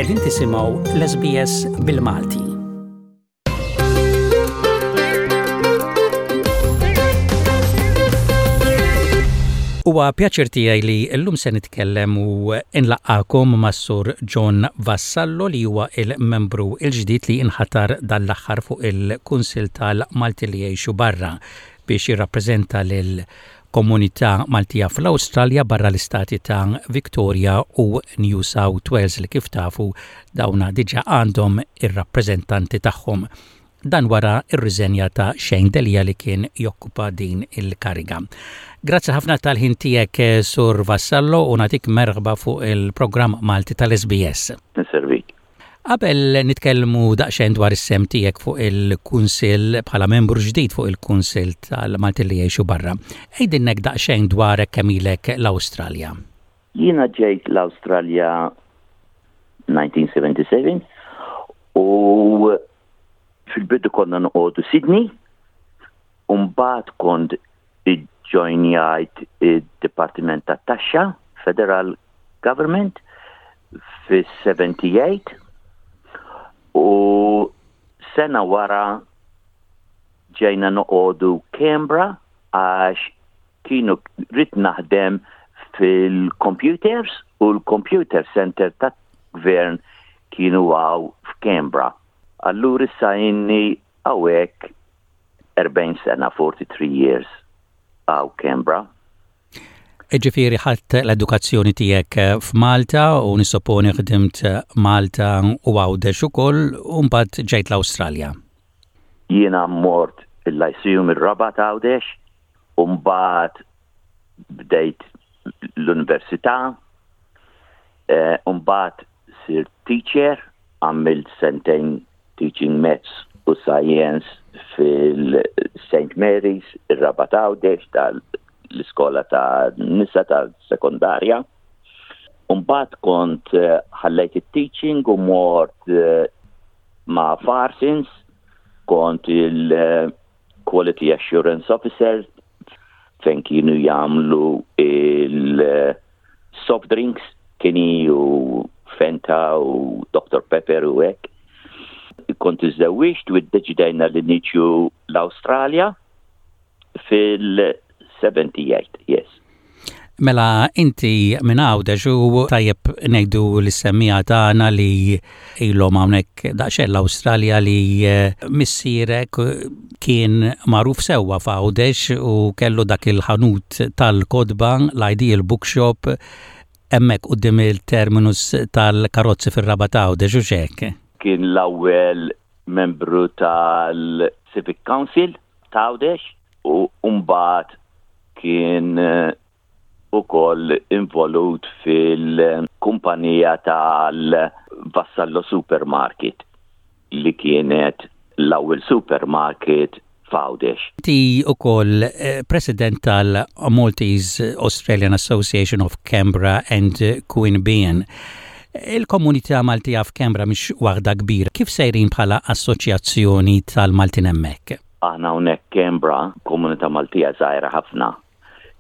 Qegħdin tisimgħu l-SBS bil-Malti. Huwa pjaċir tiegħi li llum se nitkellem u nlaqqakom mas-Sur John Vassallo li huwa il-membru l-ġdid li inħatar dan l-aħħar fuq il-Kunsill tal-Malti li jgħixu barra biex jirrappreżenta lil komunità Maltija fl-Awstralja barra l-istati ta' Victoria u New South Wales li kif tafu dawna diġà għandhom ir-rappreżentanti tagħhom. Dan wara r-riżenja ta' Shane Delia li kien jokkupa din il-kariga. Grazzi ħafna tal-ħin tiegħek Sur Vassallo u nagħtik merħba fuq il-programm Malti tal-SBS. Nservik. Qabel nitkellmu daqsxejn dwar is-sehem tiegħek fuq il-Kunsill bħala membru ġdid fuq il-Kunsill tal-Maltin li jgħixu barra, għidilna daqsxejn dwarek kemm ilek l-Awstralja. Jiena ġejt l-Awstralja 1977 u fil-bidu konna noqogħdu Sydney u mbagħad kont iġġojnjajt id-Dipartiment tat-Taxxa, Federal Government, fis-78 u sena wara ġejna noqogħdu Canberra għax kienu rrid naħdem fil-computers u l-computer center ta' gvern kienu għaw f'Canberra. Allura issa inni hawnhekk 40 sena, 43 years għaw Canberra. Ġifieri ħadt l-edukazzjoni tiegħek f'Malta u nissopponi ħdimt Malta u Għawdex ukoll u mbagħad ġejt l-Awstralja. Jiena mort il-Lyceum ir-Rabat Għawdex u mbagħad bdejt l-università, eh, u mbagħad sirt teacher, għamilt sentejn teaching maths u science fil-St. Mary's, ir-Rabat Għawdex tal-iskola ta' nisa tal-sekondarja. Mbagħad kont eh, ħallejt it-teaching u mort eh, ma' Farsins, kont il- Quality Assurance Officer fejn kienu jagħmlu il-soft drinks, Kinnie u Fanta u Dr. Pepper u hekk. Kont iżżewwiġt u ddeċidejna li niġu l-Awstralja fil-78, yes. Mela inti minn Għawdex u tajjeb ngħidu lis-semmiegħa tagħna li ilhom hawnhekk daqsxejn l-Awstralja li eh, missierek kien magħruf sewwa f'Għawdex u kellu dak il-ħanut tal-kotba l-Ideal Bookshop hemmhekk quddiem il-terminus tal-karozzi fir-Rabat Għawdex u x'hekk. Kien l-ewwel membru tal-Civic Council ta' Għawdex u mbagħad kien eh, ukoll involut fil-kumpanija tal-Vassallo Supermarket li kienet l-ewwel supermarket f'Għawdex. Inti ukoll eh, president tal-Maltese Australian Association of Canberra and Queanbeyan. Il-komunità Maltija f'Canberra mhix waħda kbira. Kif sejrin bħala assoċjazzjoni tal-Maltin hemmhekk? Aħna hawnhekk Canberra, komunità Maltija żgħira ħafna.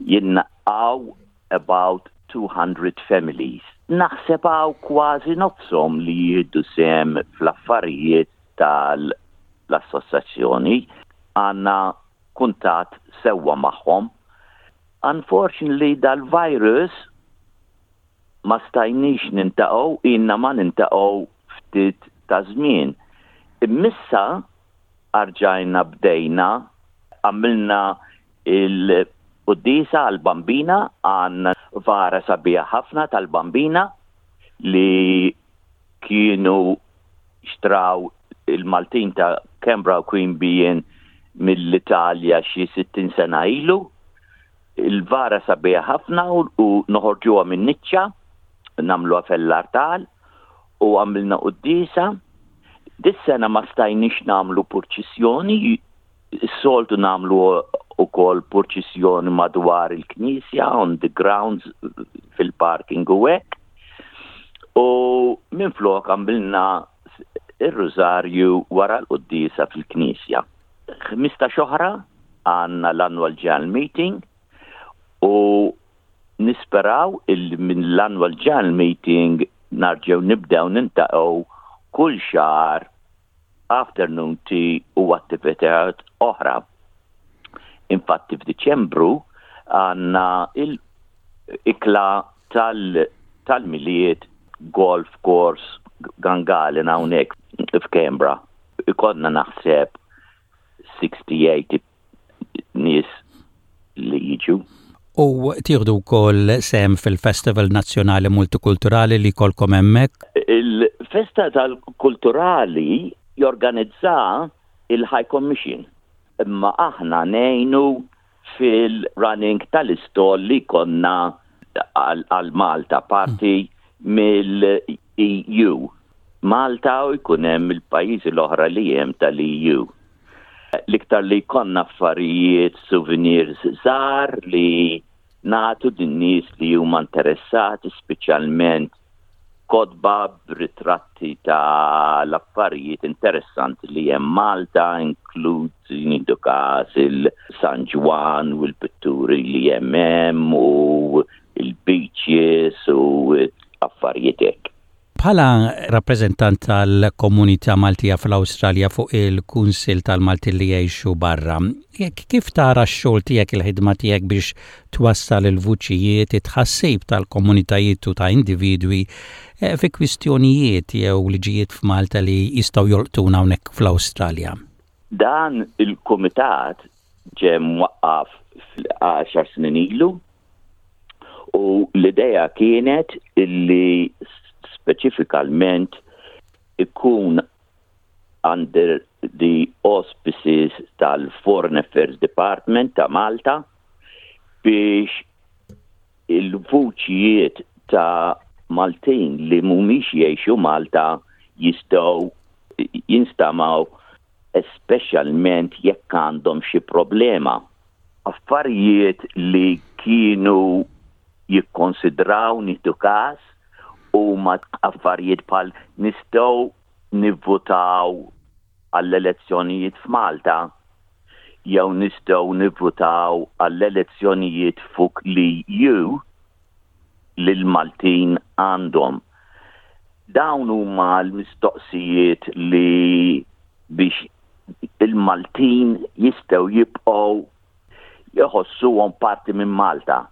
Jien hawn about 200 families. Naħseb hawn kważi nofshom li jieħdu sehem fl-affarijiet tal-assoċjazzjoni. Għandna kuntatt sewwa magħhom. Unfortunately dal-virus ma stajniex niltaqgħu, ilna ma niltaqgħu ftit ta' żmien. Imma issa rġajna bdejna, għamilna il-quddiesa għal-Bambina, għandna vara sabiħa ħafna tal-Bambina li kienu xtraw il-Maltin ta' Canberra u Queanbeyan mill-Italja xi 60 sena ilu. Il-vara sabiħa ħafna u noħorġuha minn niċċa, nagħmluha fell-artal u għamilna quddiesa. Dis-sena ma stajniex nagħmlu purċissjoni, is-soltu nagħmlu ukoll purċissjoni madwar il-knisja on the grounds fil-parking u hekk. U minflok għamilna ir-rużarju wara l-quddiesa fil-knisja. 15 oħra għandna l-annual general meeting u nisperaw il minn l-annual general meeting Narġgħu nibdew nintaqgħu kull xahar afternoon tea u attivitajiet oħra. Infatti f'Diċembru għandna il-ikla tal-Milied golf course Gungahlin hawnhekk f'Canberra. Ikollna naħseb 60-80 nies li jiġu. U tieħdu wkoll sehem fil-Festival Nazzjonali Multikulturali li jkollkom hemmhekk? Il-festa tal-kulturali jorganizza il-High Commission, imma aħna ngħinu fil-running tal-istall li konna għal Malta, parti mill-EU. Malta u jkun hemm il-pajjiżi l-oħra li hemm tal-EU. L-iktar li jkollna affarijiet, souvenirs żgħar li nagħtu din-nies li huma interessati, speċjalment kotba b'ritratti ta' l-affarijiet interessanti li hemm Malta, inkluż nieħdu każ il-San Ġwann u l-pitturi li hemm hemm u l-beaches u affarijiet hekk. Bħala rappreżentant tal-komunità Maltija fl-Awstralja fuq il-Kunsill tal-Maltin li jgħixu barra, kif tara x-xogħol tiegħek, il-ħidma tiegħek biex twassal il-vuċijiet, it-tħassib tal-komunitajiet u ta' individwi fi kwistjonijiet jew liġijiet f'Malta li jistgħu jolqtuna hawnhekk fl-Awstralja? Dan il-kumitat ġie mwaqqaf għaxar snin ilu u l-idea kienet illi speċifikalment ikun under the auspices tal-Foreign Affairs Department ta' Malta biex il-vuċijiet ta' Maltin li mhumiex jgħixu Malta jistgħu jinstamaw, speċjalment jekk għandhom xi problema. Affarijiet li kienu jikkonsidraw nieħdu każ huma affarijiet bħal nistgħu nivvutaw għall-elezzjonijiet f'Malta jew nistgħu nivvutaw għall-elezzjonijiet fuq l-EU li l-Maltin għandhom. Dawn huma l-mistoqsijiet li biex il-Maltin jistgħu jibqgħu jħossuhom parti minn Malta.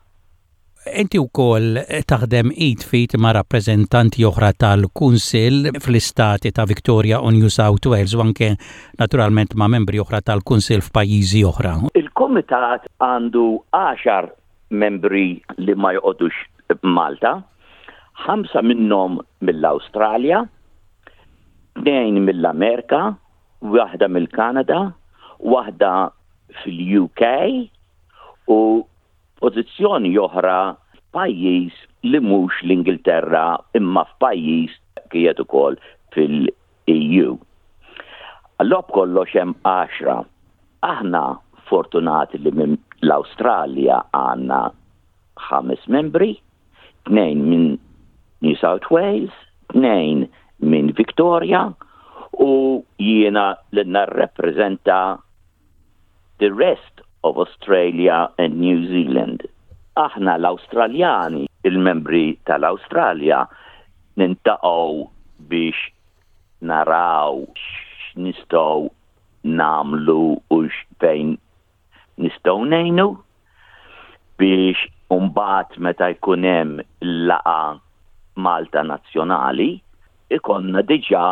Inti wkoll taħdem id f'id ma' rappreżentanti oħra tal-Kunsill fl-istati ta' Victoria u New South Wales u anke naturalment ma' membri oħra tal-Kunsill f'pajjiżi oħra. Il-Kumitat għandu għaxar membri li ma joqogħdux Malta, ħamsa minnhom mill-Awstralja, tnejn mill-Amerika, waħda mill-Kanada, waħda fil-UK u pożizzjoni oħra f'pajjiż li mhux l-Ingilterra imma f'pajjiż qiegħed ukoll fil-EU. Allura b'kollox hemm għaxra. Aħna fortunati li minn l-Awstralja għandna ħames membri, tnejn minn New South Wales, tnejn minn Victoria u jiena li narrepreżenta the rest of Australia and New Zealand. Aħna l-Awstraljani, il-membri tal-Awstralja, nintaqgħu biex naraw x'nistgħu nagħmlu u fejn nistgħu ngħinu biex mbagħad meta jkun hemm laqgħa Malta Nazzjonali ikollna diġà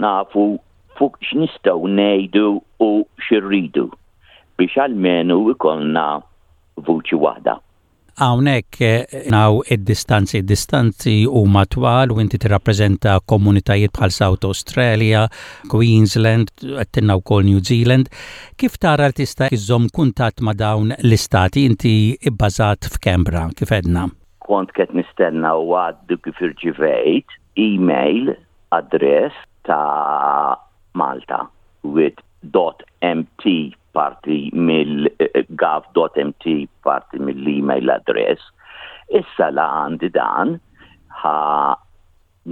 nafu fuq x'nistgħu ngħidu u x'irridu biex almenu ikollna vuċi waħda. Hawnhekk naw id-distanzi, id-distanzi huma twal u inti tirrappreżenta komunitajiet bħal South Australia, Queensland, għedtilna wkoll New Zealand. Kif tara li tista' iżżomm kuntatt ma' dawn l-istati inti bbażat f'Canberra, kif għedna? Kont qed nistenna u għaddu kif irċivejt email address ta' Malta with dot mt parti mill gov dot mt parti mill-email address. Issa la għandi dan ħa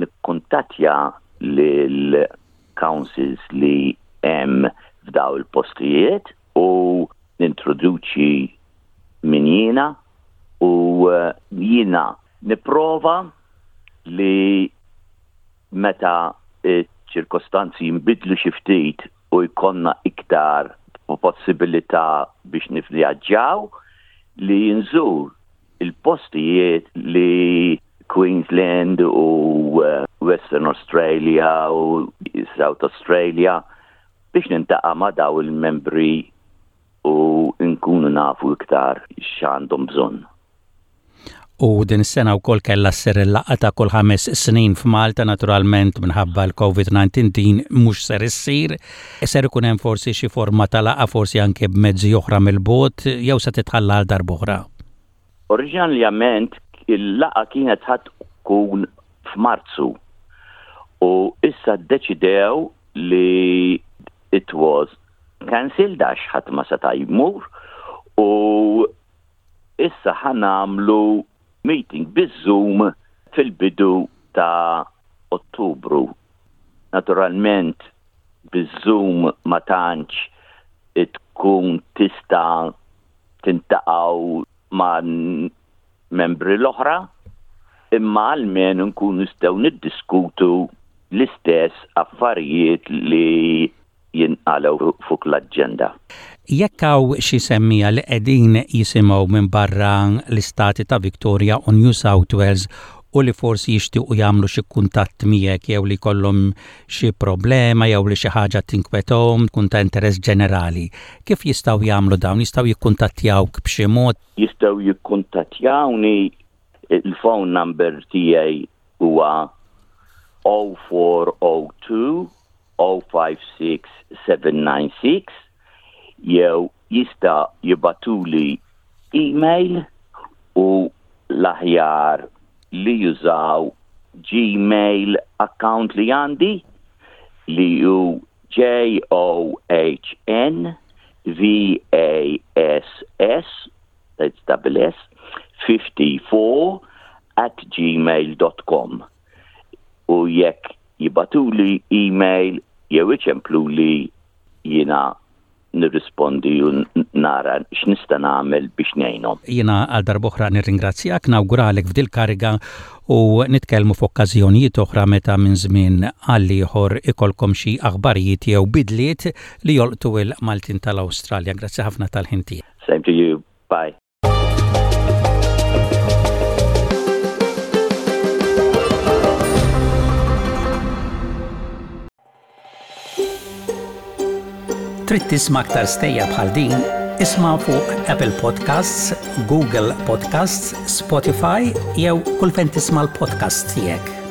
nikkuntattja lil councils li hemm f'daw il-postijiet u nintroduċi min jiena u jiena nipprova li. meta ċ-ċirkostanzi jinbidlu xi ftit u jkollna iktar possibilità biex nivvjaġġaw li nżur il-postijiet li Queensland u eh, Western Australia u South Australia biex nintaqa' ma' daw il-membri u nkunu nafu iktar x'għandhom bżonn. U din is-sena wkoll kellha ssir il-laqgħa ta' kull ħames snin f'Malta naturalment minħabba l-COVID-19 din mhux ser issir. Ser ikun hemm forsi xi forma ta' laqgħa forsi anke b'mezzi oħra mill-bogħod jew se titħalla għal darb'oħra? Oriġinarjament il-laqgħa kienet ħa tkun f'Marzu u issa ddeċidew li it was cancelled għax ħadd ma seta' jmur u Issa ħa nagħmlu meeting biz-Zoom fil-bidu ta' Ottubru. Naturalment biz-Zoom ma tantx tkun tista' tintaqgħu ma' membri l-oħra, imma almenu nkunu nistgħu niddiskutu l-istess affarijiet li jinqalgħu fuq l-aġenda. Jekk hawn xi semmiegħa li qegħdin jisimgħu minn barra l-istati ta' Victoria u New South Wales u li forsi jixtiequ jagħmlu xi kuntatt miegħek jew li jkollhom xi problema jew li xi ħaġa tinkwetahom tkun ta' interess ġenerali, kif jistgħu jagħmlu dawn? Jistgħu jikkuntattjawk b'xi mod? Jistgħu jikkuntattjawni, il-phone number tiegħi huwa 0402 056796 jew jista' jibagħtuli email u l-aħjar li jużaw Gmail account li għandi li hu J-O-H-N V-A-S-S that's double S 54 at gmail.com u jekk jibagħtuli email jew iċempluli jiena nirrispondi u nara x'nista' nagħmel biex ngħinhom. Jiena għal darb'oħra nirringrazzjak, nawguralek f'dil-kariga u nitkellmu f'okkażjonijiet oħra meta minn żmien għal ieħor ikollkom xi aħbarijiet jew bidliet li jolqtu l-Maltin tal-Awstralja. Grazzi ħafna tal-ħin tiegħek. Same to you. Bye. Trid tisma' aktar stejjer bħal din? Isma' fuq Apple Podcasts, Google Podcasts, Spotify jew kull fejn tisma' l-podcasts tiegħek.